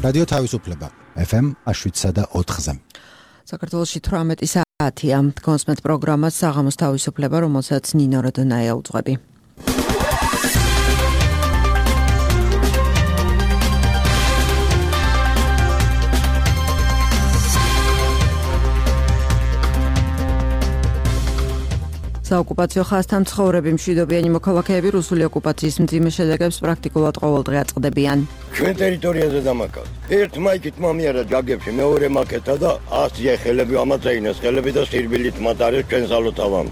რადიო თავისუფლება FM 7.4-ზე. საქართველოში 18 საათია. კონსმეთ პროგრამას საღამოს თავისუფლება, რომელსაც ნინო როდონაია უძღვები. საოკუპაციო ხაზთან ცხოვრები მშვიდობიანი მოქალაქეები რუსული ოკუპაციის მძიმე შედეგებს პრაქტიკულად ყოველდღე აწყდებიან. ჩვენ ტერიტორიაზე დამაკავთ. ერთ მაიკით მომიარა ჯაგებში, მეორე მაკეთა და 100 ხელები ამაწეინეს ხელები და სირბილით მათ არის ჩვენ სალოთავამ.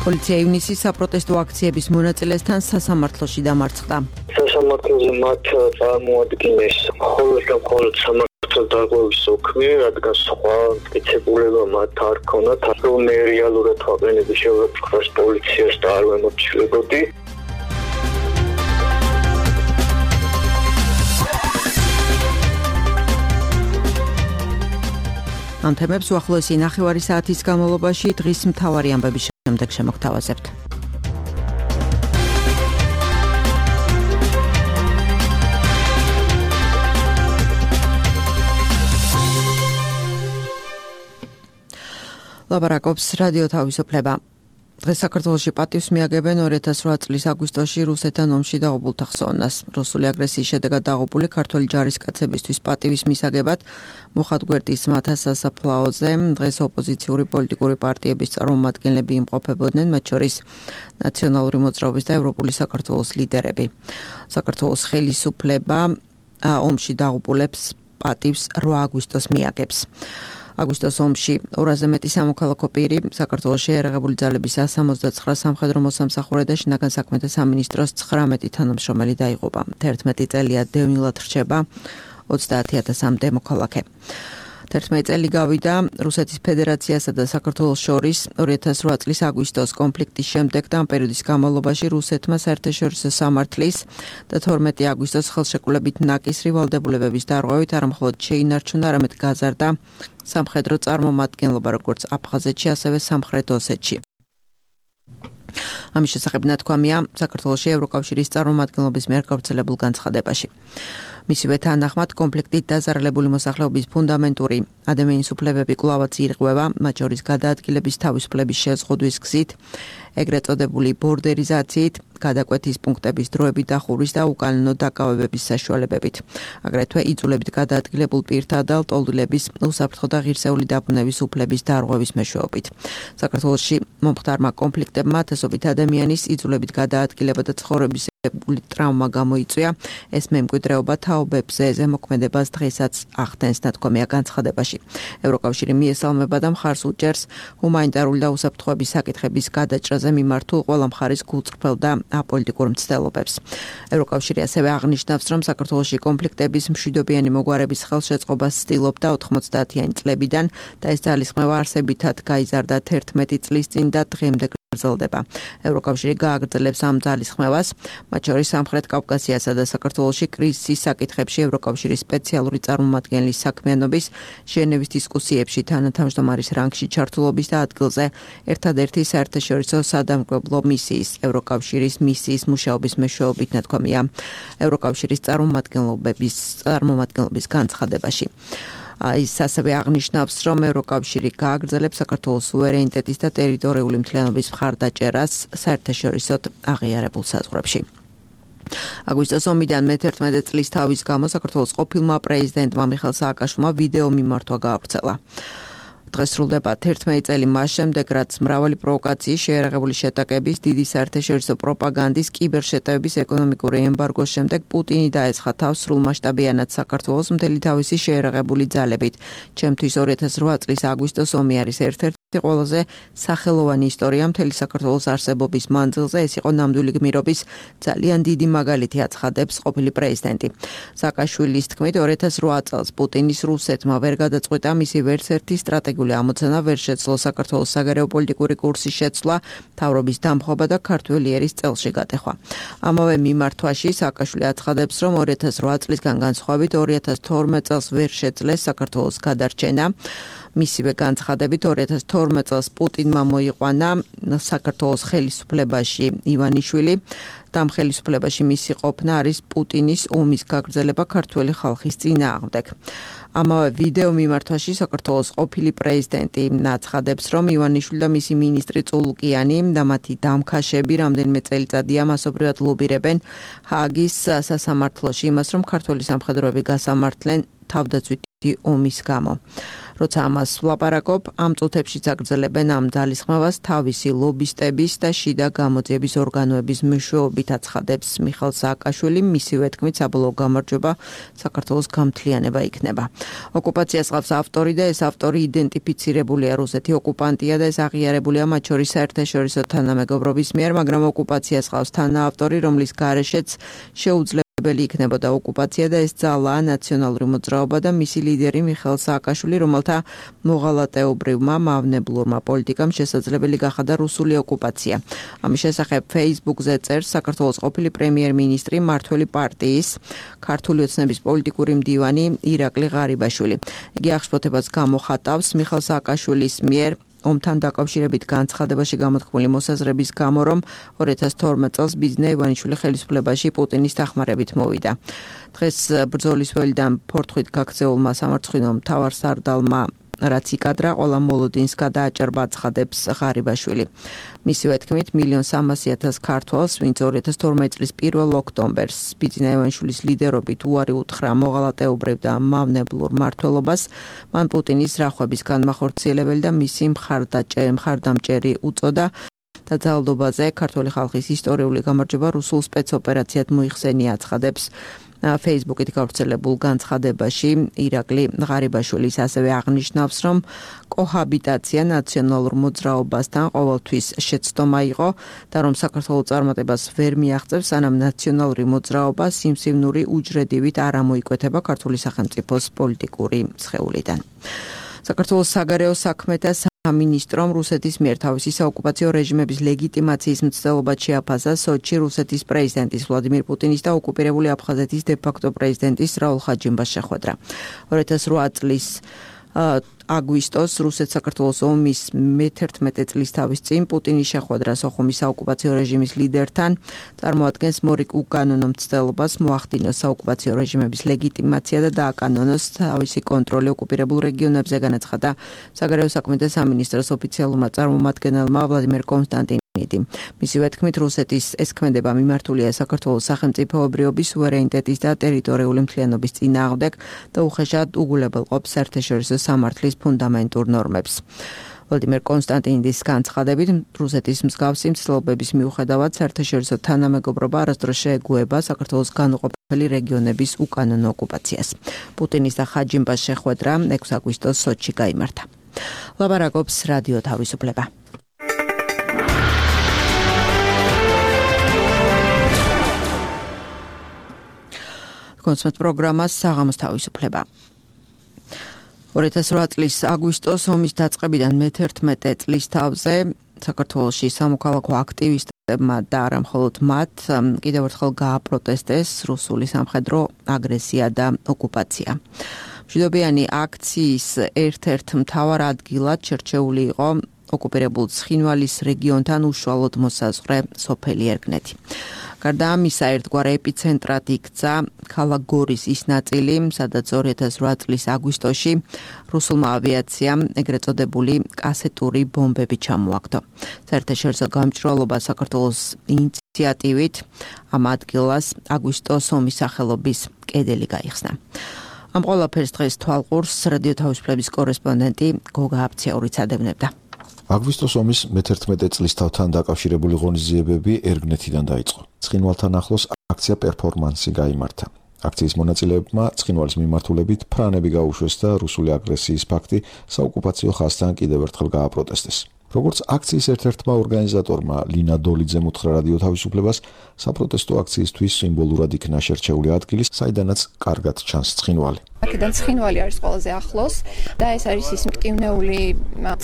პოლიცია ივნისის საპროტესტო აქციების მონაწილესთან სასამართლოში დამარცხდა. სასამართლოზე მათ წარმოადგენეს მხოლოდ სამართლის დარღვევის ოქმი, რადგან სხვა მტკიცებულება მათ არ ქონათ, რომ მე რეალურად ვაყენები შევაფრთხოს პოლიციას და არ ვემორჩილებოდი. ამ თემებს უახლოესი ნახევარი საათის განმავლობაში დღის მთავარი ამბების შემდეგ შემოგთავაზებთ. ლაბარაკობს რადიო თავისუფლება. დღეს საქართველოში პატივს მიაგებენ 2008 წლის აგვისტოში რუსეთთან ომში დაღუპულთა ხსოვნას. რუსული აგრესიის შედეგად დაღუპული ქართველი ჯარისკაცებისთვის პატივის მისაგებად მუხად გვერდის მთა სასაფლაოზე დღეს ოპოზიციური პოლიტიკური პარტიების წარმომადგენლები იმყოფებოდნენ, მათ შორის ნაციონალური მოძრაობის და ევროპული საქართველოს ლიდერები. საქართველოს ხელისუფლება ომში დაღუპულებს პატივს 8 აგვისტოს მიაგებს. აგვისტოს ომში 200-ზე მეტი სამოქალაქო პირი საქართველოს შეიარაღებული ძალების 169 სამხედრო მოსამსახურე და შინაგან საქმეთა სამინისტროს 19 თანამშრომელი დაიღუპა. 11 წელია დევნილად რჩება 30,000-მდე მოქალაქე. 11 წელი გავიდა რუსეთის ფედერაციასა და საქართველოს შორის 2008 წლის აგვისტოს კონფლიქტის შემდეგ და ამ პერიოდის განმავლობაში რუსეთმა საერთაშორისო სამართლის და 12 აგვისტოს ხელშეკრულებით ნაკისრი ვალდებულებების დარღვევით არა მხოლოდ შეინარჩუნა, არამედ გაზარდა სამხედრო წარმომადგენლობა როგორც აფხაზეთში, ასევე სამხრეთ ოსეთში. ამის შესახებ ნათქვამია საქართველოში ევროკავშირის წარმომადგენლობის მიერ გავრცელებულ განცხადებაში. მისივე თანახმად კონფლიქტით დაზარალებული მოსახლეობის ფუნდამენტური ადამიანის უფლებები კვლავაც ირღვევა, მათ შორის გადაადგილების თავისუფლების შეზღუდვის გზით, ეგრეთ წოდებული ბორდერიზაციით, გადაკვეთის პუნქტების დროებით დახურვის და უკანონო დაკავებების საშუალებებით. აგრეთვე იწულებით გადაადგილებულ პირთა და ლტოლვილების უსაფრთხო და ღირსეული დაბრუნების უფლების დარღვევის მეშვეობით. საქართველოში მომხდარმა კონფლიქტებმა ათასობით ადამიანის იწულებით გადაადგილება და ცხოვრების ტრავმა გამოიწვია. ეს მემკვიდრეობა თაობებზე ზემოქმედებას დღესაც ახდენს, ნათქვამია განცხადებაში. ევროკავშირი მიესალმება და მხარს უჭერს ჰუმანიტარული და უსაფრთხოების საკითხების გადაჭრაზე მიმართულ ყველა მხარის გულწრფელ და აპოლიტიკურ მცდელობებს. ევროკავშირი ასევე აღნიშნავს, რომ საქართველოში კონფლიქტების მშვიდობიანი მოგვარების ხელშეწყობას ცდილობდა 90-იანი წლებიდან და ეს ძალისხმევა არსებითად გაიზარდა 11 წლის წინ და დღემდე გრძელდება. ევროკავშირი გააგრძელებს ამ ძალისხმევას, მათ შორის სამხრეთ კავკასიასა და საქართველოში კრიზისის საკითხებში ევროკავშირის სპეციალური წარმომადგენლის საქმიანობის ჟენევის დისკუსიებში თანათავმჯდომარის რანგში ჩართულობის და ადგილზე ერთადერთი საერთაშორისო სადამკვირვებლო მისიის ევროკავშირის მისიის მუშაობის მეშვეობით, ნათქვამია ევროკავშირის წარმომადგენლობის განცხადებაში. ის ასევე აღნიშნავს, რომ ევროკავშირი გააგრძელებს საქართველოს სუვერენიტეტის და ტერიტორიული მთლიანობის მხარდაჭერას საერთაშორისოდ აღიარებულ საზღვრებში. აგვისტოს ომიდან მე-11 წლის თავის გამო საქართველოს ყოფილმა პრეზიდენტმა მიხეილ სააკაშვილმა ვიდეო მიმართვა გაავრცელა. დღეს სრულდება 11 წელი მას შემდეგ, რაც მრავალი პროვოკაციის, შეიარაღებული შეტაკების, დიდი საერთაშორისო პროპაგანდის, კიბერშეტევების, ეკონომიკური ემბარგოს შემდეგ პუტინი დაესხა თავს სრულმასშტაბიანად საქართველოს მთელი თავისი შეიარაღებული ძალებით. ჩემთვის 2008 წლის აგვისტოს ომი არის ერთ-ერთი ყველაზე სახელოვანი ისტორია მთელი საქართველოს არსებობის მანძილზე. ეს იყო ნამდვილი გმირობის ძალიან დიდი მაგალითი, აცხადებს ყოფილი პრეზიდენტი. სააკაშვილის თქმით, 2008 წელს პუტინის რუსეთმა ვერ გადაწყვიტა მისი ვერცერთი სტრატეგიული ამოცანა, ვერ შეძლო საქართველოს საგარეო პოლიტიკური კურსის შეცვლა, მთავრობის დამხობა და ქართველი ერის წელში გატეხვა. ამავე მიმართვაში სააკაშვილი აცხადებს, რომ 2008 წლისგან განსხვავებით 2012 წელს ვერ შეძლეს საქართველოს გადარჩენა. მისივე განცხადებით 2012 წელს პუტინმა მოიყვანა საქართველოს ხელისუფლებაში ივანიშვილი და ამ ხელისუფლებაში მისი ყოფნა არის პუტინის ომის გაგრძელება ქართველი ხალხის წინააღმდეგ. ამავე ვიდეო მიმართვაში საქართველოს ყოფილი პრეზიდენტი აცხადებს, რომ ივანიშვილი და მისი მინისტრი წულუკიანი და მათი დამქაშები რამდენიმე წელიწადია მასობრივად ლობირებენ ჰააგის სასამართლოში იმას, რომ ქართველი სამხედროები გასამართლენ თავდაცვითი ომის გამო. როცა ამას ვლაპარაკობ, ამ წუთებში აგრძელებენ ამ ძალისხმევას თავისი ლობისტების და შიდა გამოძიების ორგანოების მეშვეობით აცხადებს მიხეილ სააკაშვილი, მისივე თქმით საბოლოო გამარჯვება საქართველოს გამთლიანება იქნება. ოკუპაციას ყავს ავტორი და ეს ავტორი იდენტიფიცირებულია რუსეთი ოკუპანტია და ეს აღიარებულია მათ შორის საერთაშორისო თანამეგობრობის მიერ, მაგრამ ოკუპაციას ყავს თანაავტორი, რომლის გარეშეც შეუძლია იქნებოდა ოკუპაცია და ეს ძალაა ნაციონალური მოძრაობა და მისი ლიდერი მიხეილ სააკაშვილი, რომელთა მოღალატეობრივმა მავნებლურმა პოლიტიკამ შესაძლებელი გახადა რუსული ოკუპაცია. ამის შესახებ Facebook-ზე წერს საქართველოს ყოფილი პრემიერ-მინისტრი მმართველი პარტიის ქართული ოცნების პოლიტიკური მდივანი ირაკლი ღარიბაშვილი. იგი აღშფოთებას გამოხატავს მიხეილ სააკაშვილის მიერ ომთან დაკავშირებით განცხადებაში გამოთქმული მოსაზრების გამო, რომ 2012 წელს ბიძინა ივანიშვილი ხელისუფლებაში პუტინის დახმარებით მოვიდა. დღეს ბრძოლის ველიდან ფორთხვით გაქცეულმა სამარცხვინო მთავარსარდალმა რაც იკადრა, ყველა მოლოდინს გადააჭერბა ცხადებს ღარიბაშვილი. მისივე თქმით, 1,300,000 ქართველს, ვინც 2012 წლის 1 ოქტომბერს ბიძინა ივანიშვილის ლიდერობით უარი უთხრა მოღალატეობრივ და მავნებლურ მმართველობას, მან პუტინის რახვების განმახორციელებელი და მისი მხარდამჭერი უწოდა და ძალადობაზე ქართული ხალხის ისტორიული გამარჯვება რუსულ სპეცოპერაციად მოიხსენია აცხადებს Facebook-ით გავრცელებულ განცხადებაში ირაკლი ღარიბაშვილის ასევე აღნიშნავს, რომ კოჰაბიტაცია ნაციონალურ მოძრაობასთან ყოველთვის შეცდომა იყო და რომ საქართველოს წარმატებას ვერ მიაღწევს, სანამ ნაციონალური მოძრაობა სიმსივნური უჯრედივით არ ამოიკვეთება ქართული სახელმწიფოს პოლიტიკური სხეულიდან. საქართველოს საგარეო საქმეთა სამინისტრომ რუსეთის მიერ თავისი საოკუპაციო რეჟიმების ლეგიტიმაციის მცდელობა შეაფასა სოჩი რუსეთის პრეზიდენტის ვლადიმირ პუტინის და ოკუპირებული აფხაზეთის დე-ფაქტო პრეზიდენტის რაულ ხაჯიმბას შეხვედრა. 2008 წლის აგვისტოს რუსეთ-საქართველოს ომის მე-11 წლის თავის წინ პუტინის შეხვედრა სოხუმის საოკუპაციო რეჟიმის ლიდერთან წარმოადგენს მორიგ უკანონო მცდელობას მოახდინოს საოკუპაციო რეჟიმების ლეგიტიმაცია და დააკანონოს თავისი კონტროლი ოკუპირებულ რეგიონებზე, განაცხადა საგარეო საქმეთა სამინისტროს ოფიციალურმა წარმომადგენელმა ვლადიმერ კონსტანტინოვი. მისივე თქმით, რუსეთის ეს ქმედება მიმართულია საქართველოს სახელმწიფოებრიობის სუვერენიტეტის და ტერიტორიული მთლიანობის წინააღმდეგ და უხეშად უგულებელყოფს საერთაშორისო სამართლის ფუნდამენტურ ნორმებს. ვლადიმერ კონსტანტინოვის განცხადებით, რუსეთის მსგავსი მცდელობების მიუხედავად საერთაშორისო თანამეგობრობა არასდროს შეეგუება საქართველოს განუყოფელი რეგიონების უკანონო ოკუპაციას. პუტინის და ხაჯიმბას შეხვედრა 6 აგვისტოს სოჩში გაიმართა. ლაპარაკობს რადიო თავისუფლება. კონსმეთ პროგრამას საღამოს თავისუფლება. 2008 წლის აგვისტოს ომის დაწყებიდან მე-11 წლის თავზე საქართველოში სამოქალაქო აქტივისტებმა და არა მხოლოდ მათ კიდევ ერთხელ გააპროტესტეს რუსული სამხედრო აგრესია და ოკუპაცია. მშვიდობიანი აქციის ერთ-ერთ მთავარ ადგილად შერჩეული იყო ოკუპირებულ ცხინვალის რეგიონთან უშუალოდ მოსაზღვრე სოფელი ერგნეთი. გარდა ამისა, ერთგვარ ეპიცენტრად იქცა ქალაქ გორის ის ნაწილი, სადაც 2008 წლის აგვისტოში რუსულმა ავიაციამ ეგრეთ წოდებული კასეტური ბომბები ჩამოაგდო. საერთაშორისო გამჭვირვალობა საქართველოს ინიციატივით ამ ადგილას აგვისტოს ომის სახელობის კედელი გაიხსნა. ამ ყველაფერს დღეს თვალყურს რადიო თავისუფლების კორესპონდენტი გოგა აფციაურიც ადევნებდა. აგვისტოს ომის მე-11 წლის თავთან დაკავშირებული ღონისძიებები ერგნეთიდან დაიწყო. ცხინვალთან ახლოს აქცია პერფორმანსი გაიმართა. აქციის მონაწილეებმა ცხინვალის მიმართულებით ფრანები გაუშვეს და რუსული აგრესიის ფაქტი საოკუპაციო ხაზთან კიდევ ერთხელ გააპროტესტეს. როგორც აქციის ერთ-ერთმა ორგანიზატორმა ლინა დოლიძემ უთხრა რადიო თავისუფლებას, საპროტესტო აქციისთვის სიმბოლურად იქნა შერჩეული ადგილი, საიდანაც კარგად ჩანს ცხინვალი. აქედან ცხინვალი არის ყველაზე ახლოს და ეს არის ის მტკივნეული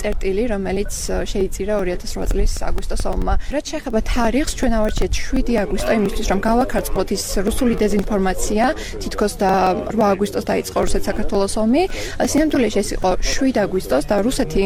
წერტილი, რომელიც შეიწირა 2008 წლის აგვისტოს ომმა. რაც შეეხება თარიღს, ჩვენ ავარჩიეთ 7 აგვისტო იმისთვის, რომ გავაქარწყლოთ ის რუსული დეზინფორმაცია, თითქოს და 8 აგვისტოს დაიწყო რუსეთ საქართველოს ომი. სინამდვილეში ეს იყო 7 აგვისტოს და რუსეთი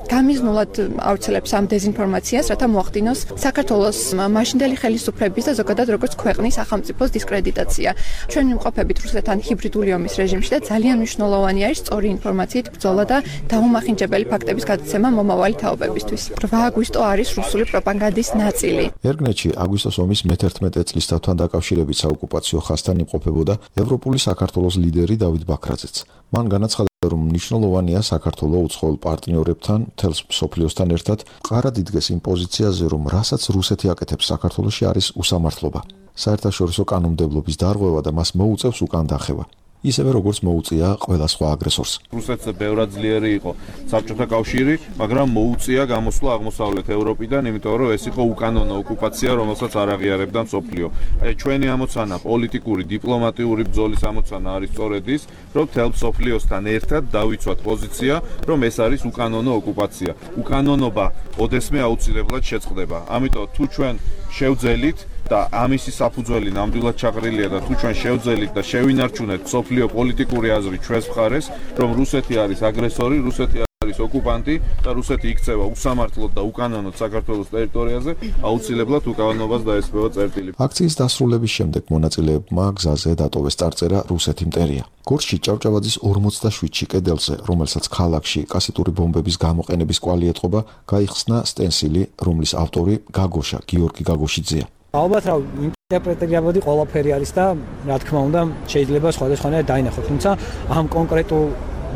გამიზნულად ავრცელებს ამ დეზინფორმაციას, რათა მოახდინოს საქართველოს მაშინდელი ხელისუფლების და ზოგადად როგორც ქვეყნის სახელმწიფოს დისკრედიტაცია. ჩვენ ვიმყოფებით რუსეთთან ჰიბრიდული ომის რეჟიმში და ძალიან მნიშვნელოვანი არის სწორი ინფორმაციით ბრძოლა და დაუმახინჯებელი ფაქტების გადაცემა მომავალი თაობებისთვის. 8 აგვისტო არის რუსული პროპაგანდის ნაწილი. ერგნეთში აგვისტოს ომის მე-11 წლისთავთან დაკავშირებით საოკუპაციო ხაზთან იმყოფებოდა ევროპული საქართველოს ლიდერი დავით ბაქრაძეც. მან განაცხადა, რომ მნიშვნელოვანია საქართველოს უცხოელ პარტნიორებთან, მთელს მსოფლიოსთან ერთად მყარად იდგეს იმ პოზიციაზე, რომ რასაც რუსეთი აკეთებს საქართველოში არის უსამართლობა. საერთაშორისო კანონმდებლობის დარღვევა და მას მოუწევს უკან დახევა. ისევე როგორც მოუწია ყველა სხვა აგრესორს. რუსეთზე ბევრად ძლიერი იყო საბჭოთა კავშირი, მაგრამ მოუწია გამოსვლა აღმოსავლეთ ევროპიდან, იმიტომ რომ ეს იყო უკანონო ოკუპაცია, რომელსაც არ აღიარებდა მსოფლიო. აი ჩვენი ამოცანა, პოლიტიკური, დიპლომატიური ბრძოლის ამოცანა არის სწორედ ის, რომ მთელ მსოფლიოსთან ერთად დავიცვათ პოზიცია, რომ ეს არის უკანონო ოკუპაცია. უკანონობა ოდესმე აუცილებლად შეწყდება. ამიტომ თუ ჩვენ შევძელით და ამისი საფუძველი ნამდვილად ჩაყრილია და თუ ჩვენ შევძელით და შევინარჩუნეთ მსოფლიო პოლიტიკური აზრი ჩვენს მხარეს, რომ რუსეთი არის აგრესორი, რუსეთი არის ოკუპანტი და რუსეთი იქცევა უსამართლოდ და უკანონოდ საქართველოს ტერიტორიაზე, აუცილებლად უკანონობას დაესწრება წერტილი. აქციის დასრულების შემდეგ მონაწილეებმა გზაზე დატოვეს წარწერა რუსეთი მტერია. გორში ჭავჭავაძის 47-ში კედელზე, რომელსაც ქალაქში კასეტური ბომბების გამოყენების კვალი ეთყობა, გაიხსნა სტენსილი, რომლის ავტორი გაგოშა, გიორგი გაგოშიძეა. ალბათ რა ინტერპრეტირებოდი ყველაფერი არის და რა თქმა უნდა შეიძლება სხვადასხვანაირად დაინახოთ, თუმცა ამ კონკრეტულ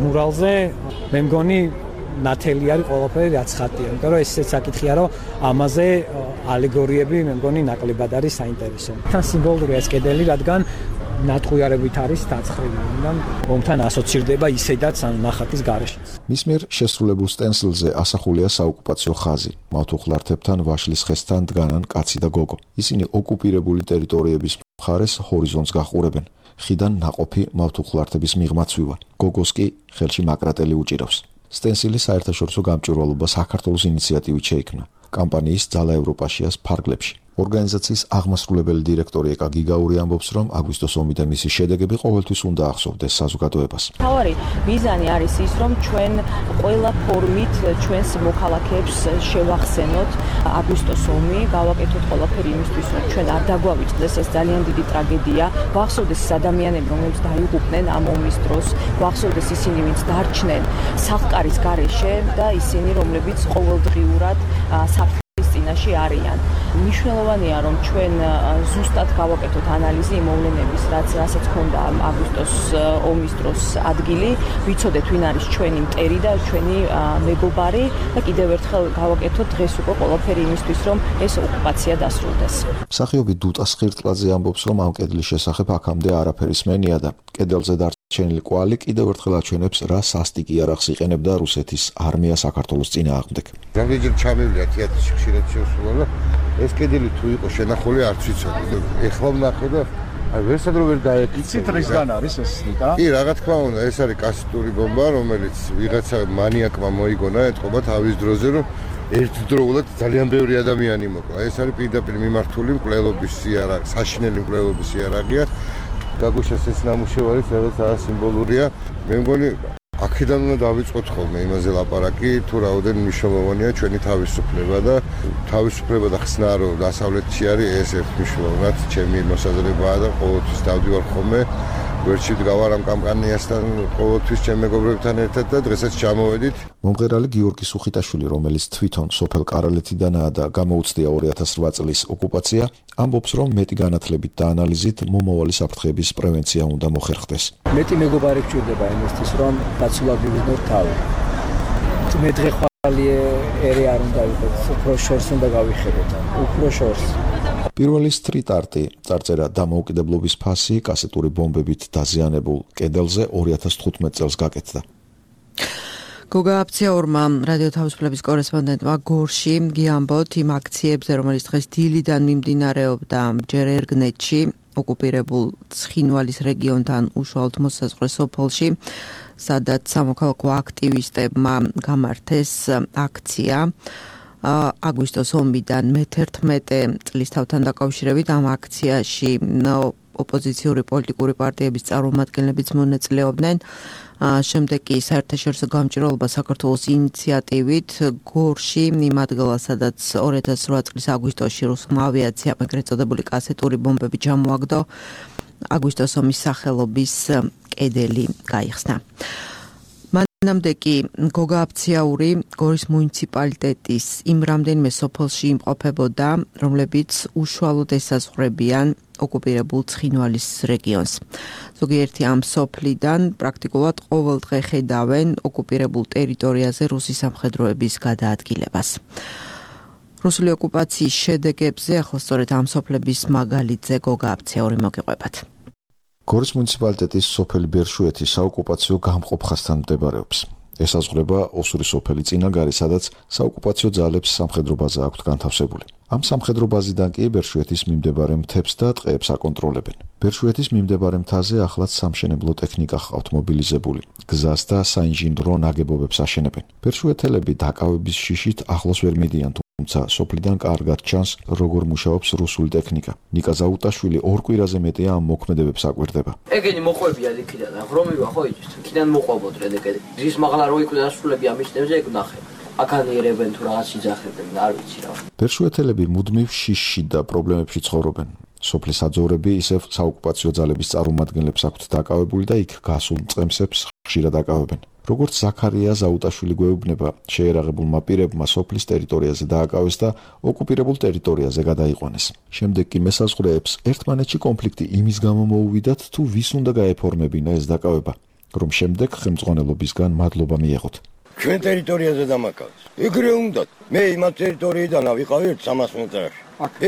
მურალზე მე მგონი ნათელი არის ყველაფერი რაც ხატია, იმიტომ რომ ესეც საკითხია, რომ ამაზე ალეგორიები მე მგონი ნაკლებად არის საინტერესო. თან სიმბოლურია ეს კედელი, რადგან ნატყუიარებით არის დაწყრილი და ომთან ასოცირდება ისედაც ან ნახატის გარეშეც. მის მიერ შესრულებულ სტენსილზე ასახულია საოკუპაციო ხაზი. მავთუხლართებთან ვაშლის ხესთან დგანან კაცი და გოგო. ისინი ოკუპირებული ტერიტორიების მხარეს ჰორიზონტს გაყურებენ. ხიდან ნაყოფი მავთუხლართების მიღმა ცვივა. გოგოს კი ხელში მაკრატელი უჭირავს. სტენსილი საერთაშორისო გამჭვირვალობა საქართველოს ინიციატივით შეიქმნა. კამპანიის ძალა ევროპაშიას ფარგლებში. ორგანიზაციის აღმასრულებელი დირექტორი ეკა გიგაური ამბობს, რომ აგვისტოს ომი და მისი შედეგები ყოველთვის უნდა ახსოვდეს საზოგადოებას. თავარი მიზანი არის ის, რომ ჩვენ ყველა ფორმით ჩვენს მოქალაქეებს შევახსენოთ აგვისტოს ომი, გავაკეთოთ ყველაფერი იმისთვის, რომ ჩვენ არ დაგვავიწყდეს ეს ძალიან დიდი ტრაგედია, ვახსოვდეს ის ადამიანები, რომლებიც დაიღუპნენ ამ ომის დროს, ვახსოვდეს ისინი, ვინც დარჩნენ სახლკარის გარეშე და ისინი, რომლებიც ყოველდღიურად წინაში არიან. მნიშვნელოვანია, რომ ჩვენ ზუსტად გავაკეთოთ ანალიზი იმ მოვლენების, რასაც ჰქონდა აგვისტოს ომის დროს ადგილი, ვიცოდეთ ვინ არის ჩვენი მტერი და ჩვენი მეგობარი და კიდევ ერთხელ გავაკეთოთ დღეს უკვე ყველაფერი იმისთვის, რომ ეს ოკუპაცია დასრულდეს. მსახიობი დუტა სხირტლაძე ამბობს, რომ ამ კედლის შესახებ აქამდე არაფერი სმენია და კედელზე დარჩენილი კვალი კიდევ ერთხელ აჩვენებს, რა სასტიკი იარაღს იყენებდა რუსეთის არმია საქართველოს წინააღმდეგ. რამდენჯერ ჩამივიდა თეატრში ხშირად შევსულა და ეს კედელი თუ იყო შენახული არც ვიცოდი. ეხლა ვნახე და აი ვერსად რო ვერ დაეკითხე. იცით რისგან არის ეს ნიკა? კი, რა თქმა უნდა, ეს არის კასეტური ბომბა, რომელიც ვიღაცა მანიაკმა მოიგონა ეთყობა თავის დროზე, რომ ერთდროულად ძალიან ბევრი ადამიანი მოკლა. ეს არის პირდაპირ მიმართული მკვლელობის იარაღი, საშინელი მკვლელობის იარაღია. გაგუშას ეს ნამუშევარი სადაც სიმბოლურია. მე მგონი აქედან უნდა დავიწყოთ ხოლმე იმაზე ლაპარაკი, თუ რაოდენ მნიშვნელოვანია ჩვენი თავისუფლება და ხსნა, რომ დასავლეთში არის ეს ერთ მნიშვნელოვნად ჩემი მოსაზრებაა და ყოველთვის დავდივარ ხოლმე ვერჩი ვდგავარ ამ კამპანიასთან ყოველთვის ჩემ მეგობრებთან ერთად და დღესაც ჩამოვედით. მომღერალი გიორგი სუხიტაშვილი, რომელიც თვითონ სოფელ კარალეთიდანაა და გამოუცდია 2008 წლის ოკუპაცია, ამბობს, რომ მეტი განათლებით და ანალიზით მომავალი საფრთხეების პრევენცია უნდა მოხერხდეს. მეტი მეგობარი გჭირდება იმისთვის, რომ დაცულად მივიღოთ თავი. მე დღეხვალი ერი არ უნდა იყოს, უფრო შორს უნდა გავიხედოთ, უფრო შორს. პირველი სტრიტ არტი, წარწერა დამოუკიდებლობის ფასი კასეტური ბომბებით დაზიანებულ კედელზე 2015 წელს გაკეთდა. გოგა აფციაურმა რადიო თავისუფლების კორესპონდენტმა გორში გიამბოთ იმ აქციებზე, რომელიც დღეს დილიდან მიმდინარეობდა ჯერ ერგნეთში, ოკუპირებულ ცხინვალის რეგიონთან უშუალოდ მოსაზღვრე სოფელში, სადაც სამოქალაქო აქტივისტებმა გამართეს აქცია აგვისტოს ომიდან მე-11 წლისთავთან დაკავშირებით. ამ აქციაში ოპოზიციური პოლიტიკური პარტიების წარმომადგენლებიც მონაწილეობდნენ. შემდეგ კი საერთაშორისო გამჭირვალობა საქართველოს ინიციატივით გორში იმ ადგილას, სადაც 2008 წლის აგვისტოში რუსულმა ავიაციამ ეგრეთ წოდებული კასეტური ბომბები ჩამოაგდო, აგვისტოს ომის სახელობის კედელი გაიხსნა. მანამდე კი გოგა აფციაური გორის მუნიციპალიტეტის იმ რამდენიმე სოფელში იმყოფებოდა, რომლებიც უშუალოდ ესაზღვრებიან ოკუპირებულ ცხინვალის რეგიონს. ზოგიერთი ამ სოფლიდან პრაქტიკულად ყოველ დღე ხედავენ ოკუპირებულ ტერიტორიაზე რუსი სამხედროების გადაადგილებას. რუსული ოკუპაციის შედეგებზე ახლა სწორედ ამ სოფლების მაგალითზე გოგა აფციაური მოგიყვებათ. გორის მუნიციპალიტეტის სოფელი ბერშუეთი საოკუპაციო გამყოფხასთან მდებარეობს. ესაზღვრება ოსური სოფელი წინაგარი, სადაც საოკუპაციო ძალებს სამხედრო ბაზა აქვთ განთავსებული. ამ სამხედრო ბაზიდან კი ბერშუეთის მიმდებარე მთებს და ტყეებს აკონტროლებენ. ბერშუეთის მიმდებარე მთაზე ახლაც სამშენებლო ტექნიკა ჰყავთ მობილიზებული. გზას და საინჟინრო ნაგებობებს აშენებენ. ბერშუეთელები დაკავების შიშით ახლოს ვერ მიდიან, თუმცა სოფლიდან კარგად ჩანს, როგორ მუშაობს რუსული ტექნიკა. ნიკა ზაუტაშვილი ორ კვირაზე მეტია ამ მოქმედებებს აკვირდება. ეგენი მოყვებია იქიდან, ღრომივა ხო იცით? იქიდან მოყვებოდ რედეკედი. რის მაღლა რო იკვდა ასრულები ამ მისნებზე ეგ ნახე. აკანიერებენ თუ რაღაც იძახებენ, არ ვიცი რა. ბერშუეთელები მუდმივ შიშში და პრობლემებში ცხოვრობენ. სოფლის აძოვრები ისევ საოკუპაციო ძალების წარმომადგენლებს აქვთ დაკავებული და იქ გასულ მწყემსებს ხშირად აკავებენ. როგორც ზაქარია ზაუტაშვილი გვეუბნება, შეერაღებულმა პირებმა სოფლის ტერიტორიაზე დააკავეს და ოკუპირებულ ტერიტორიაზე გადაიყვანეს. შემდეგ კი მესაზღვრეებს ერთმანეთში კონფლიქტი იმის გამო მოუვიდათ, თუ ვის უნდა გაეფორმებინა ეს დაკავება, რომ შემდეგ ხელმძღვანელობისგან მადლობა მიეღოთ. ჩვენ ტერიტორიაზე დამაკავეს. ეგრე უნდათ. მე იმათ ტერიტორიიდან ავიყავი 300 მეტრში.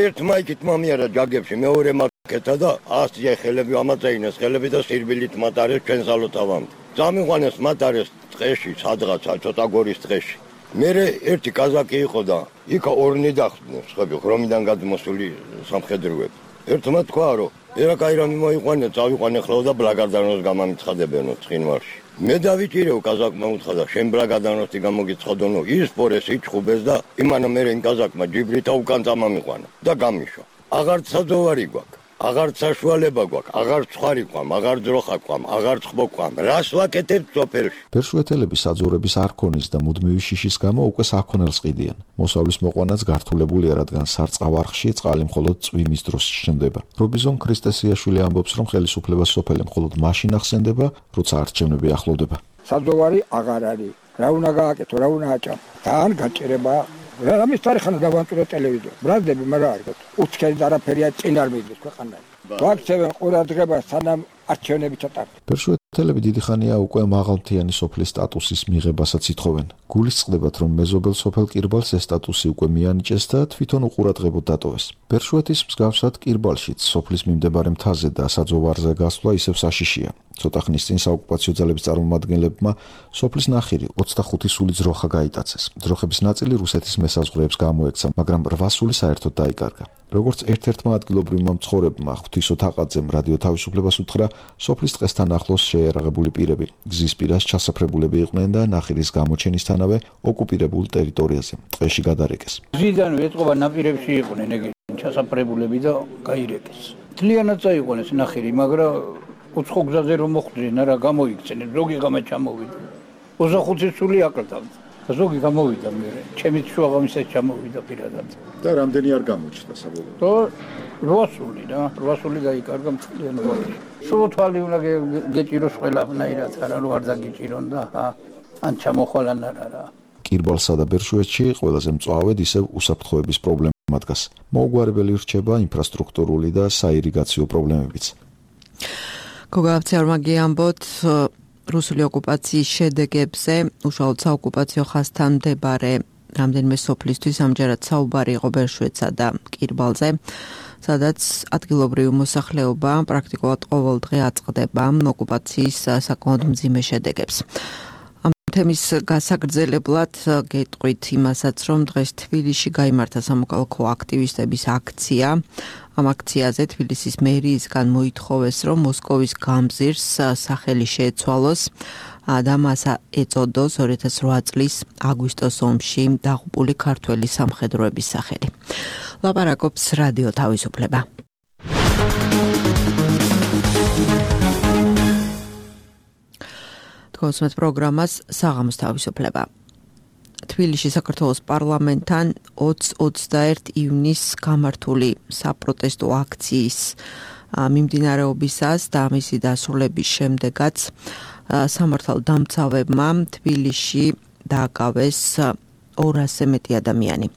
ერთ მაიკით მომიარა ჯაგებში, მეორე მაკეთა და 100 ხელები ამაწეინეს ხელები და სირბილით მატარეს ჩვენ სალოთავამდე. წამიყვანეს მატარეს ტყეში, სადღაცა ცოტა გორის ტყეში. მერე ერთი კაზაკი იყო და იქ ორნი დახდნენ, ხები ღრომიდან გადმოსული სამხედროები. ერთმა თქვა, რომ ერაკაი რამე მოიყვანე, წავიყვანე ხოლმე და ბლაგარდანოს გამამიცხადებენო ცხინვალში. მე დავიჭირეო კაზაკმა უთხრა და შენ ბრაგადანოსი გამოგიცხადონო, ისპორეს იჩხუბეს და იმანა მერე იმ კაზაკმა ჯიბრითა უკან წამამიყვანა და გამიშვა. აღარც საძოვარი გვაქვს. აღარც საშუალება გვაქვს, აღარც ცხარი გვყავ, აღარც ძროხა გვყავ, აღარც ხბო გვყავ. რას ვაკეთებთ სოფელში? ბერშუეთელები საძოვრების არქონის და მუდმივი შიშის გამო უკვე საქონელს ყიდიან. მოსავლის მოყვანაც გართულებულია, რადგან სარწყავ-არხში წყალი მხოლოდ წვიმის დროს ჩნდება. რობიზონ ქრისტესიაშვილი ამბობს, რომ ხელისუფლებას სოფელი მხოლოდ მაშინ ახსენდება, როცა არჩევნები ახლოვდება. საძოვარი აღარ არის. რა უნდა გააკეთო, რა უნდა აჭამ? თან გაჭირება რამის თარიღana დავანწურო ტელევიზორ. ბრაზდები მაგრამ არ გქონდა. უცხელი და არაფერია წინ არ მიდლის ქვეყანაში. ვაქცევენ ყურადღებას სანამ არჩევნები ჩატარდება. ბერშუეთელები დიდი ხანია უკვე მაღალმთიანი სოფლის სტატუსის მიღებასაც ითხოვენ. გულისწყდებათ, რომ მეზობელ სოფელ კირბალს ეს სტატუსი უკვე მიანიჭეს და თვითონ უყურადღებოდ დატოვეს. ბერშუეთის მსგავსად კირბალშიც სოფლის მიმდებარე მთაზე და საძოვარზე გასვლა ისევ საშიშია. ცოტა ხნის წინ საოკუპაციო ძალების წარმომადგენლებმა სოფლის ნახირი 25 სული ძროხა გაიტაცეს. ძროხების ნაწილი რუსეთის მესაზღვრეებს გამოექცა, მაგრამ 8 სული საერთოდ დაიკარგა. როგორც ერთ-ერთმა ადგილობრივმა მცხოვრებმა ღვთისო თაყაძემ რადიო თავისუფლებას უთხრა, სოფლის ტყესთან ახლოს შეერაღებული პირები გზის პირას ჩასაფრებულები იყვნენ და ნახირის გამოჩენისთანავე ოკუპირებულ ტერიტორიაზე ტყეში გადარეკეს. გზიდან ეტყობა ნაპირებში იყვნენ ეგ ჩასაფრებულები და გაირეკეს. თლიანად წაიყვანეს ნახირი, მაგრამ უცხო გზაზე რომ მოხვდნენ, არა გამოიქცნენ, ზოგი გამა ჩამოვიდა. 25 სული აკრდა. ზოგი გამოვიდა მე. ჩემი შუაღამისად ჩამოვიდა პირადად. და რამდენი არ გამოჩნდა საბოლოოდ? 8 სული რა, 8 სული გაიკარგა მთლიანად. სულ თვალი უნდა გეჭიროს ყველაფერად, არა რომ არ დაგიჭირონ და ან ჩამოხვალან არა. კირბალსა და ბერშუეთში ყველაზე მწვავედ ისევ უსაფრთხოების პრობლემა დგას. მოუგვარებელი რჩება ინფრასტრუქტურული და საირიგაციო პრობლემებიც. გოგა აფციაურმა გიამბოთ რუსული ოკუპაციის შედეგებზე უშუალოდ საოკუპაციო ხაზთან მდებარე რამდენიმე სოფლისთვის ამჯერად საუბარი იყო ბერშუეთსა და კირბალზე, სადაც ადგილობრივი მოსახლეობა პრაქტიკულად ყოველ დღე აწყდება ოკუპაციის საკმაოდ მძიმე შედეგებს. ამ თემის გასაგრძელებლად გეტყვით იმასაც, რომ დღეს თბილისში გაიმართა სამოქალაქო აქტივისტების აქცია. Am აქციაზე თბილისის მერიისგან მოითხოვეს, რომ მოსკოვის გამზირს სახელი შეეცვალოს და მას ეწოდოს 2008 წლის აგვისტოს ომში დაღუპული ქართველი სამხედროების სახელი. ლაპარაკობს რადიო თავისუფლება. Თქვენს პროგრამას საღამოს თავისუფლება. თბილისში საქართველოს პარლამენტთან 20-21 ივნისს გამართული საპროტესტო აქციის მიმდინარეობისას და მისი დასრულების შემდეგაც სამართალდამცავებმა თბილისში დააკავეს 200-ზე მეტი ადამიანი.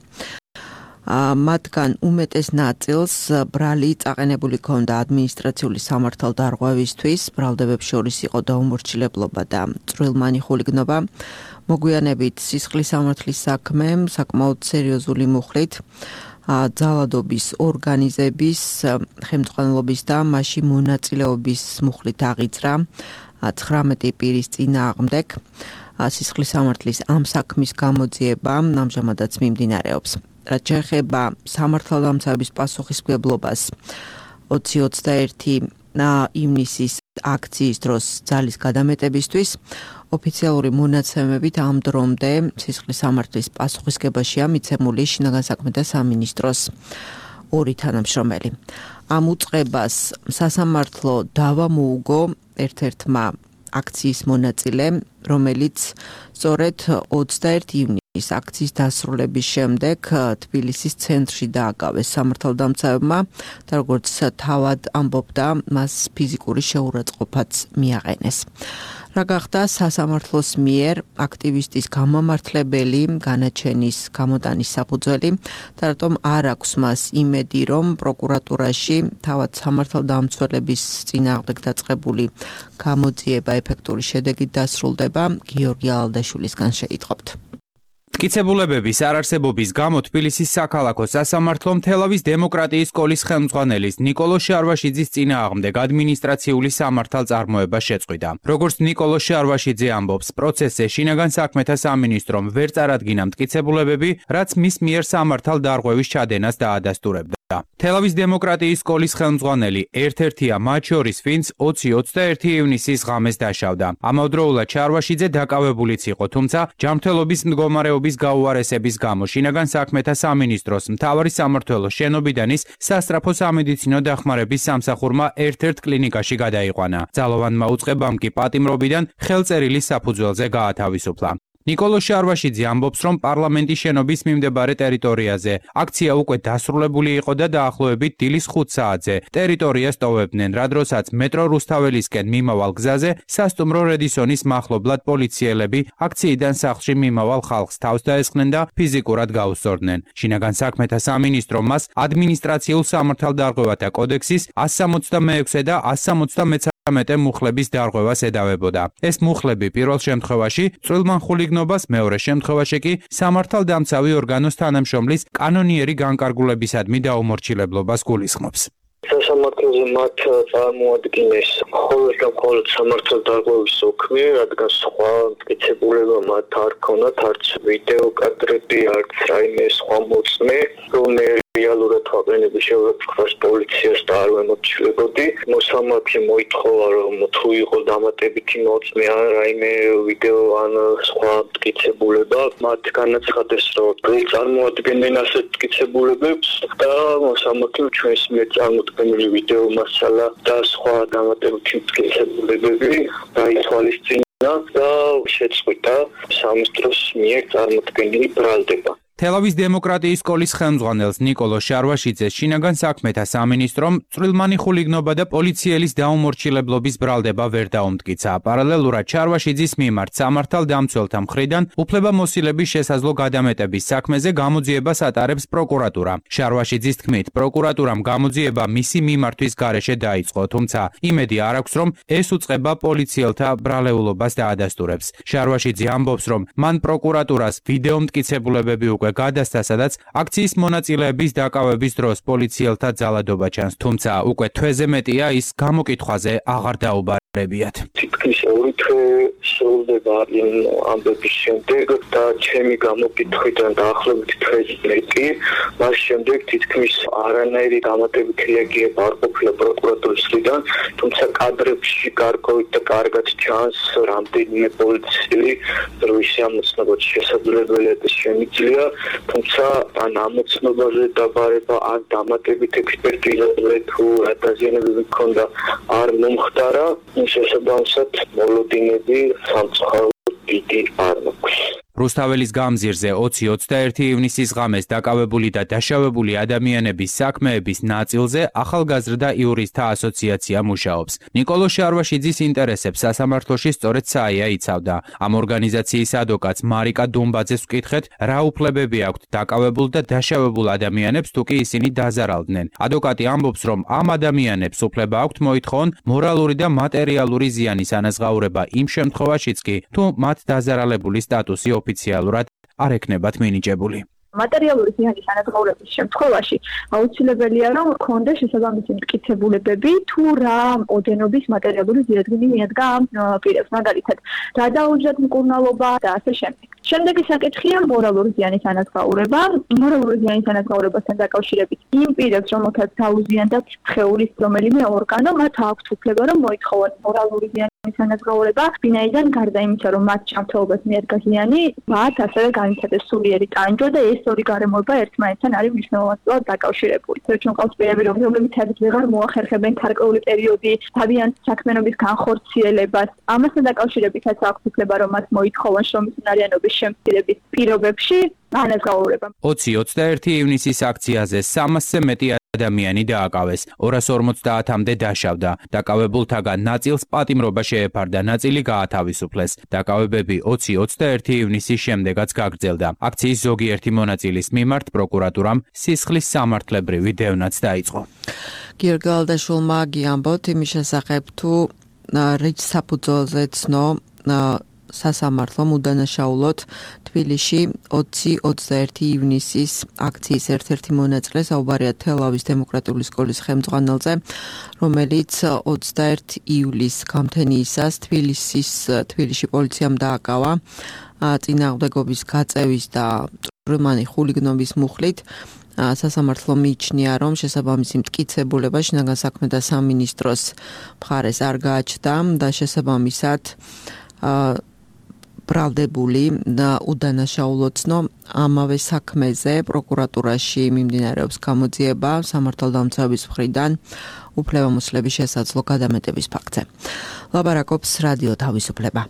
მათგან უმეტეს ნაწილს ბრალი წაყენებული ჰქონდა ადმინისტრაციული სამართალდარღვევისთვის, ბრალდებებს შორის იყო დაუმორჩილებლობა და წვრილმანი ხულიგნობა. მოგვიანებით სისხლის სამართლის საქმე საკმაოდ სერიოზული მუხლით ძალადობის ორგანიზების ხელმძღვანელობის და მასში მონაწილეობის მუხლით აღიძრა 19 პირის წინააღმდეგ. სისხლის სამართლის ამ საქმის გამოძიება ამჟამადაც მიმდინარეობს. რაც შეეხება სამართალდამცავების პასუხისმგებლობას 20-21 ივნისის აქციის დროს ძალის გადამეტებისთვის ოფიციალური მონაცემებით ამ დრომდე სისხლის სამართლის პასუხისმგებაშია მიცემული შინაგან საქმეთა სამინისტროს 2 თანამშრომელი. ამ უწყებას სასამართლო დავა მოუგო ერთ-ერთმა აქციის მონაწილემ, რომელიც სწორედ 21 ივნისის აქციის დასრულების შემდეგ თბილისის ცენტრში დააკავეს სამართალდამცავებმა და როგორც თავად ამბობდა, მას ფიზიკური შეურაცხყოფაც მიაყენეს. რა გახდა სასამართლოს მიერ აქტივისტის გამამართლებელი განაჩენის გამოტანის საფუძველი და რატომ არ აქვს მას იმედი, რომ პროკურატურაში თავად სამართალდამცველების წინააღმდეგ დაწყებული გამოძიება ეფექტური შედეგით დასრულდება, გიორგი ალადაშვილისგან შეიტყობთ. მტკიცებულებების არარსებობის გამო თბილისის საქალაქო სასამართლომ თელავის დემოკრატიის სკოლის ხელმძღვანელის ნიკოლო შარვაშიძის წინააღმდეგ ადმინისტრაციული სამართალწარმოება შეწყვიტა. როგორც ნიკოლო შარვაშიძე ამბობს, პროცესზე შინაგან საქმეთა სამინისტრომ ვერ წარადგინა მტკიცებულებები, რაც მის მიერ სამართალდარღვევის ჩადენას დაადასტურებდა. თელავის დემოკრატიის სკოლის ხელმძღვანელი ერთ-ერთია მათ შორის, ვინც 20-21 ივნისის ღამეს დაშავდა. ამავდროულად შარვაშიძე დაკავებულიც იყო, თუმცა ჯანმრთელობის მდგომარეობის გაუარესების გამო შინაგან საქმეთა სამინისტროს მთავარი სამმართველოს შენობიდან ის სასწრაფო სამედიცინო დახმარების სამსახურმა ერთ-ერთ კლინიკაში გადაიყვანა. ძალოვანმა უწყებამ კი პატიმრობიდან ხელწერილის საფუძველზე გაათავისუფლა. ნიკოლო შარვაშიძე ამბობს, რომ პარლამენტის შენობის მიმდებარე ტერიტორიაზე აქცია უკვე დასრულებული იყო და დაახლოებით დილის 5 საათზე ტერიტორიას ტოვებდნენ, რა დროსაც მეტრო რუსთაველისკენ მიმავალ გზაზე სასტუმრო რედისონის მახლობლად პოლიციელები აქციიდან სახლში მიმავალ ხალხს თავს დაესხნენ და ფიზიკურად გაუსწორდნენ. შინაგან საქმეთა სამინისტრომ მას ადმინისტრაციულ სამართალდარღვევათა კოდექსის 166 და 173 მუხლების დარღვევას ედავებოდა. ეს მუხლები პირველ შემთხვევაში წვრილმან ხულიგნობას, მეორე შემთხვევაში კი სამართალდამცავი ორგანოს თანამშრომლის კანონიერი განკარგულებისადმი დაუმორჩილებლობას გულისხმობს. სასამართლოზე მათ წარმოადგენს მხოლოდ და მხოლოდ სამართალდარღვევის საქმე, რადგან სხვა მტკიცებულება მათ არ ქონათ, არც ვიდეო კადრები, არც რაიმე სხვა მოწმე, რომ რეალურად ვაყენები შევეფხვრას პოლიციას და არ ვემორჩილებოდი. მოსამართლე მოითხოვა, რომ თუ იყო დამატებითი მოწმე ან რაიმე ვიდეო ან სხვა მტკიცებულება, მათ განაცხადეს, რომ წარმოადგენენ ასეთ მტკიცებულებებს და მოსამართლე ჩვენს მიერ წარმოდგენილი ვიდეო მასალა და სხვა დამატებითი მტკიცებულებები დაითვალისწინა და შეწყვიტა სამინისტროს მიერ წარმოდგენილი ბრალდება. თელავის დემოკრატიის სკოლის ხელმძღვანელს ნიკოლო შარვაშიძეს შინაგან საქმეთა სამინისტრომ წვრილმანი ხულიგნობა და პოლიციელის დაუმორჩილებლობის ბრალდება ვერ დაუმტკიცა. პარალელურად შარვაშიძის მიმართ სამართალდამცველთა მხრიდან უფლებამოსილების შესაძლო გადამეტების საქმეზე გამოძიებას ატარებს პროკურატურა. შარვაშიძის თქმით, პროკურატურამ გამოძიება მისი მიმართვის გარეშე დაიწყო, თუმცა იმედი არ აქვს, რომ ეს უწყება პოლიციელთა ბრალეულობას დაადასტურებს. შარვაშიძე ამბობს, რომ მან პროკურატურას ვიდეო მტკიცებულებები უკვე მცირე გადასცა, სადაც აქციის მონაწილეების დაკავების დროს პოლიციელთა ძალადობა ჩანს, თუმცა უკვე თვეზე მეტია ის გამოკითხვაზე აღარ დაუბარებიათ. თითქმის ორი თვე სრულდება იმ ამბების შემდეგ და ჩემი გამოკითხვიდან დაახლოებით თვეზე მეტი, მას შემდეგ თითქმის არანაირი დამატებითი რეაგირება არ ყოფილა პროკურატურის მხრიდან, თუმცა კადრებში გარკვევით და კარგად ჩანს რამდენიმე პოლიციელი, რომ ისე ამოცნობად შესაძლებელია და შემიძლია, თუმცა ან ამოცნობაზე დაბარება, ან დამატებით ექსპერტიზაზე თუ რა დაზიანებები ჰქონდა არ მომხდარა, შესაბამისად მოლოდინები სამწუხაროდ დიდი არ მაქვს. რუსთაველის გამზირზე 20-21 ივნისის ღამეს დაკავებული და დაშავებული ადამიანების საქმეების ნაწილზე ახალგაზრდა იურისტთა ასოციაცია მუშაობს. ნიკოლო შარვაშიძის ინტერესებს სასამართლოში სწორედ საია იცავდა. ამ ორგანიზაციის ადვოკატს მარიკა დუმბაძეს ვკითხეთ, რა უფლებები აქვთ დაკავებულ და დაშავებულ ადამიანებს, თუ კი ისინი დაზარალდნენ. ადვოკატი ამბობს, რომ ამ ადამიანებს უფლება აქვთ მოითხოვონ მორალური და მატერიალური ზიანის ანაზღაურება იმ შემთხვევაშიც კი, თუ მათ დაზარალებული სტატუსი ოფიციალურად არ ექნებათ მინიჭებული. მატერიალური ზიანის ანაზღაურების შემთხვევაში აუცილებელია, რომ ჰქონდეს შესაბამისი მტკიცებულებები, თუ რა ოდენობის მატერიალური ზიადგინი მიადგა ამ პირებს, მაგალითად, რა დაუჯდათ მკურნალობა და ასე შემდეგ. შემდეგი საკითხია მორალური ზიანის ანაზღაურება. მორალური ზიანის ანაზღაურებასთან დაკავშირებით იმ პირებს, რომელთაც დაუზიანდათ სხეულის რომელიმე ორგანო, მათ აქვთ უფლება, რომ მოითხოვონ მორალური ზიანის ანაზღაურება, ვინაიდან გარდა იმისა, რომ მათ ჯანმრთელობას მიადგა ზიანი, მათ ასევე განიცადეს სულიერი ტანჯვა და ეს ორი გარემოება ერთმანეთთან არის მნიშვნელოვნად დაკავშირებული. ჩვენ ყავს პირები, რომლებიც ვეღარ მოახერხებენ გარკვეული პერიოდი თავიანთ საქმიანობის განხორციელებას. ამასთან დაკავშირებითაც აქვს უფლება, რომ მათ მოითხოვონ შრომის უნარიანობის შემცირების პირობებში ანაზღაურება. 20-21 ივნისის აქციაზე 300-ზე მეტი ადამიანი დააკავეს, 250-მდე დაშავდა. დაკავებულთაგან ნაწილს პატიმრობა შეეფარდა, ნაწილი გაათავისუფლეს. დაკავებები 20-21 ივნისის შემდეგაც გაგრძელდა. აქციის ზოგიერთი მონაწილის მიმართ პროკურატურამ სისხლის სამართლებრივი დევნაც დაიწყო. გიორგალდაშვილმა გიამბოთ იმის შესახებ, თუ რიჩ საფუძველზე ცნო სასამართლომ უდანაშაულოთ თბილისში 20-21 ივნისის აქციის ერთ-ერთი მონაწილე, საუბარია თელავის დემოკრატიული სკოლის ხელმძღვანელზე, რომელიც 21 ივლისს გამთენიისას თბილისში პოლიციამ დააკავა წინააღმდეგობის გაწევის და წვრილმანი ხულიგნობის მუხლით. სასამართლო მიიჩნია, რომ შესაბამისი მტკიცებულება შინაგან საქმეთა სამინისტროს მხარეს არ გააჩნდა და შესაბამისად ბრალდებული და უდანაშაულოცნო ამავე საქმეზე პროკურატურაში მიმდინარეობს გამოძიება სამართალდამცავების მხრიდან უფლებამოსილების შესაძლო გადამეტების ფაქტზე. ლაბარაკობს რადიო თავისუფლება.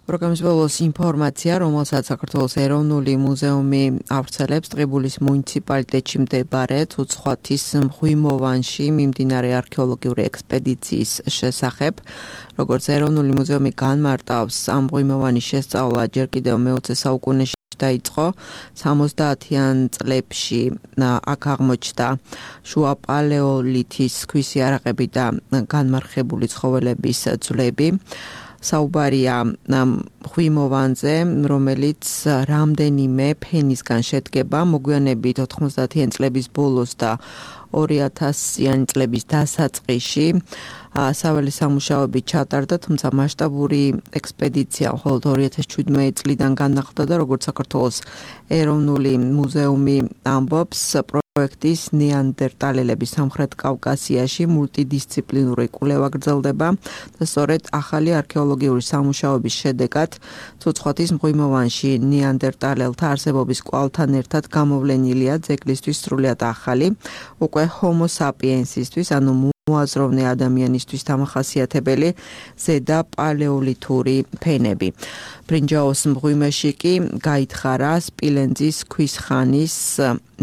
პროგრამის ბოლოს ინფორმაცია, რომელსაც საქართველოს ეროვნული მუზეუმი ავრცელებს ტყიბულის მუნიციპალიტეტში მდებარე ცუცხვათის მღვიმოვანში მიმდინარე არქეოლოგიური ექსპედიციის შესახებ. როგორც ეროვნული მუზეუმი განმარტავს, ამ მღვიმოვანის შესწავლა ჯერ კიდევ მე-20 საუკუნეში დაიწყო. 70-იან წლებში აქ აღმოჩნდა შუა პალეოლითის ქვის იარაღები და განმარხებული ცხოველების ძვლები. საუბარია მღვიმოვანზე, რომელიც რამდენიმე ფენისგან შედგება, მოგვიანებით 90-იან წლების ბოლოს და 2000-იანი წლების დასაწყისში საველე სამუშაოები ჩატარდა, თუმცა მასშტაბური ექსპედიცია მხოლოდ 2017 წლიდან განახლდა და როგორც საქართველოს ეროვნული მუზეუმი ამბობს, პროექტის ნეანდერტალელების სამხრეთ კავკასიაში მულტიდისციპლინური კვლევა გრძელდება და სწორედ ახალი არქეოლოგიური სამუშაოების შედეგად ცუცხვათის მღვიმოვანში ნეანდერტალელთა არსებობის კვალთან ერთად გამოვლენილია ძეგლისთვის სრულიად ახალი, უკვე ჰომო საპიენსისთვის, ანუ მოაზროვნე ადამიანისთვის დამახასიათებელი ზედა პალეოლითური ფენები. ბრინჯაოს მღვიმეში კი გაითხარა სპილენძის ქვის ხანის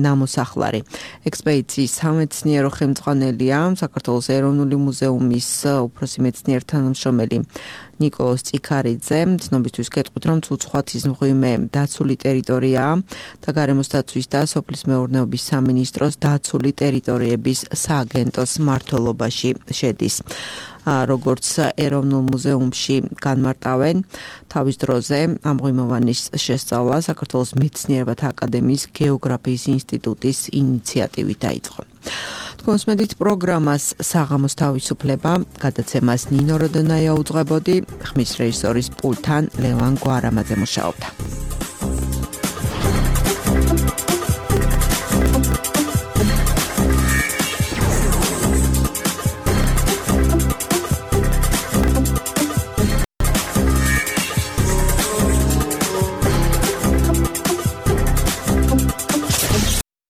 ნამოსახლარი. ექსპედიციის სამეცნიერო ხელმძღვანელია საქართველოს ეროვნული მუზეუმის უფროსი მეცნიერი თანამშრომელი ნიკოლოს წიქარიძე. ცნობისთვის გეტყვით, რომ ცუცხვათის მღვიმე დაცული ტერიტორიაა და გარემოს დაცვის და სოფლის მეურნეობის სამინისტროს დაცული ტერიტორიების სააგენტოს მმართველობა შემადგენლობაში შედის. როგორც ეროვნულ მუზეუმში განმარტავენ, თავის დროზე ამ ღვინოვანის შესწავლა საქართველოს მეცნიერებათა აკადემიის გეოგრაფიის ინსტიტუტის ინიციატივით დაიწყო. თქვენს მედით პროგრამას საღამოს თავისუფლება გადაცემას ნინო როდონაია უძღვებოდი, ხმის რეჟისორის პულტთან ლევან გვარამაძე მუშაობდა.